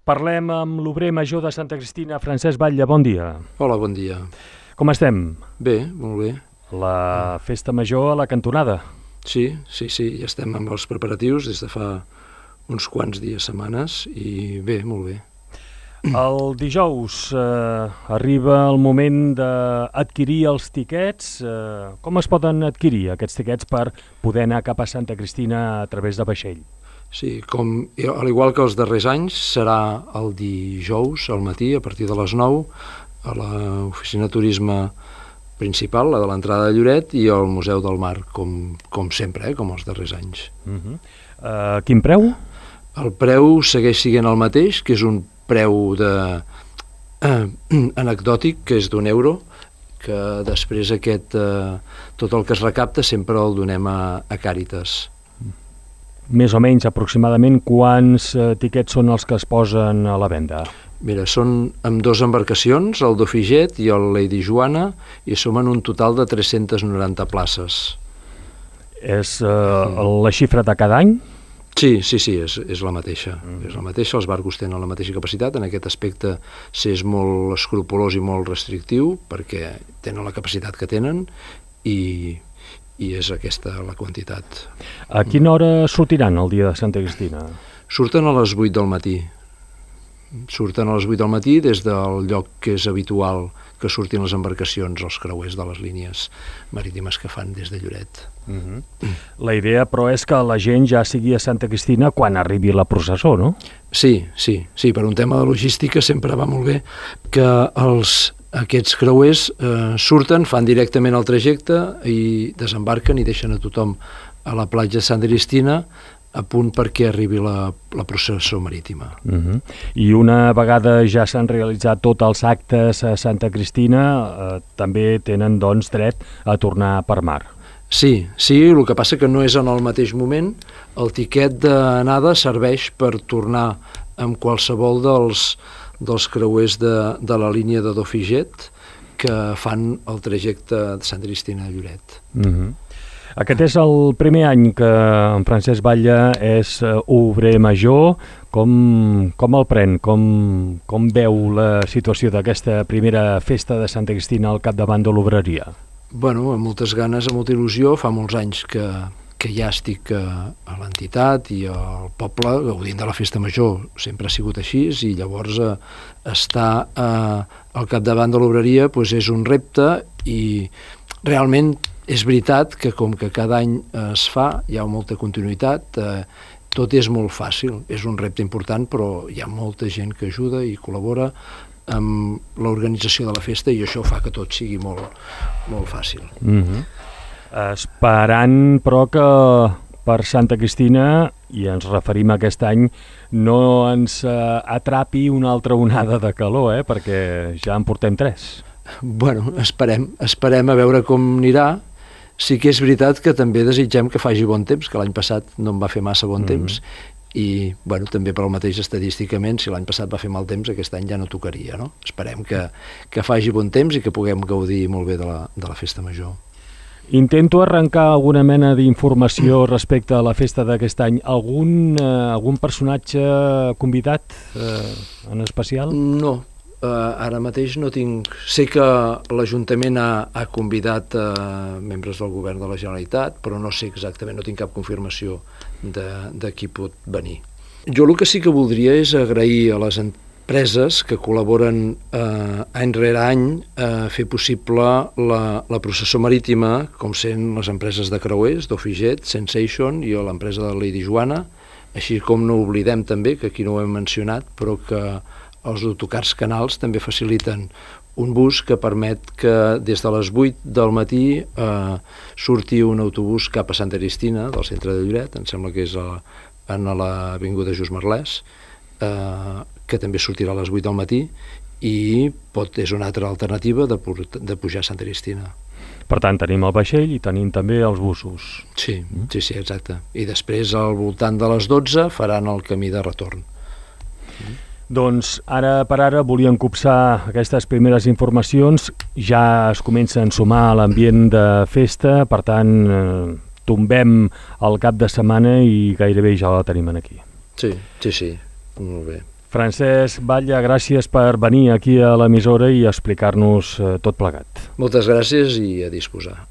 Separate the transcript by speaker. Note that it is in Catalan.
Speaker 1: Parlem amb l'obrer major de Santa Cristina, Francesc Batlle. Bon dia.
Speaker 2: Hola, bon dia.
Speaker 1: Com estem?
Speaker 2: Bé, molt bé.
Speaker 1: La festa major a la cantonada.
Speaker 2: Sí, ja estem amb els preparatius des de fa uns quants dies, setmanes, i bé, molt bé.
Speaker 1: El dijous arriba el moment d'adquirir els tiquets. Com es poden adquirir aquests tiquets per poder anar cap a Santa Cristina a través de vaixell?
Speaker 2: Sí, al igual que els darrers anys, serà el dijous al matí, a partir de les 9, a l'oficina de turisme principal, la de l'entrada de Lloret, i al Museu del Mar, com sempre, com els darrers anys.
Speaker 1: Quin preu?
Speaker 2: El preu segueix sent el mateix, que és un preu anecdòtic, que és d'€1, que després tot el que es recapta sempre el donem a Càritas.
Speaker 1: Més o menys, aproximadament, quants tiquets són els que es posen a la venda?
Speaker 2: Mira, són amb 2 embarcacions, el Dauphijet i el Lady Joana, i som en un total de 390 places. És
Speaker 1: la xifra de cada any?
Speaker 2: Sí, és la mateixa. És la mateixa, els barcos tenen la mateixa capacitat. En aquest aspecte s'és molt escrupolós i molt restrictiu, perquè tenen la capacitat que tenen, i és aquesta la quantitat.
Speaker 1: A quina hora sortiran el dia de Santa Cristina?
Speaker 2: Surten a les 8 del matí. Surten a les 8 del matí des del lloc que és habitual que surtin les embarcacions, els creuers de les línies marítimes que fan des de Lloret.
Speaker 1: La idea, però, és que la gent ja sigui a Santa Cristina quan arribi la processó, no?
Speaker 2: Sí, per un tema de logística sempre va molt bé que aquests creuers surten, fan directament el trajecte i desembarquen i deixen a tothom a la platja de Santa Cristina a punt perquè arribi la processó marítima.
Speaker 1: I una vegada ja s'han realitzat tots els actes a Santa Cristina, també tenen, doncs, dret a tornar per mar.
Speaker 2: Sí, el que passa que no és en el mateix moment. El tiquet d'anada serveix per tornar amb qualsevol dels creuers de la línia de Dauphijet que fan el trajecte de Santa Cristina a Lloret.
Speaker 1: Aquest és el primer any que en Francesc Batlle és obrer major. Com el pren? Com veu la situació d'aquesta primera festa de Santa Cristina al capdavant de l'obreria?
Speaker 2: Bueno, amb moltes ganes, amb molta il·lusió. Fa molts anys que ja estic a l'entitat i al poble gaudint de la festa major. Sempre ha sigut així, i llavors estar al capdavant de l'obreria és un repte, i realment és veritat que com que cada any es fa, hi ha molta continuïtat, tot és molt fàcil. És un repte important, però hi ha molta gent que ajuda i col·labora amb l'organització de la festa, i això fa que tot sigui molt, molt fàcil.
Speaker 1: Esperant, però, que per Santa Cristina, i ens referim a aquest any, no ens atrapi una altra onada de calor, perquè ja en portem 3.
Speaker 2: Bueno, esperem a veure com anirà. Sí que és veritat que també desitgem que faci bon temps, que l'any passat no en va fer massa bon temps, i també per al mateix estadísticament, si l'any passat va fer mal temps, aquest any ja no tocaria, no? Esperem que faci bon temps i que puguem gaudir molt bé de la festa major.
Speaker 1: Intento arrencar alguna mena d'informació respecte a la festa d'aquest any. Algun personatge convidat en especial?
Speaker 2: No. Ara mateix no tinc... Sé que l'Ajuntament ha convidat membres del govern de la Generalitat, però no sé exactament, no tinc cap confirmació de qui pot venir. Jo el que sí que voldria és agrair a les empreses que col·laboren any rere any a fer possible la processó marítima, com sent les empreses de creuers, Dauphijet, Sensation i l'empresa de Lady Joana, així com no oblidem també, que aquí no ho hem mencionat, però que els autocars Canals també faciliten un bus que permet que des de les 8 del matí surti un autobús cap a Santa Cristina, del centre de Lloret, em sembla que és en l'avinguda Just Merlès, que també sortirà a les 8 del matí, i és una altra alternativa de pujar a Santa Cristina.
Speaker 1: Per tant, tenim el vaixell i tenim també els busos.
Speaker 2: Sí, exacte. I després, al voltant de les 12, faran el camí de retorn.
Speaker 1: Doncs ara per ara volíem copsar aquestes primeres informacions. Ja es comença a ensumar a l'ambient de festa, per tant tombem el cap de setmana i gairebé ja la tenim aquí.
Speaker 2: Sí, molt bé.
Speaker 1: Francesc Batlle, gràcies per venir aquí a l'emissora i explicar-nos tot plegat.
Speaker 2: Moltes gràcies i a disposar.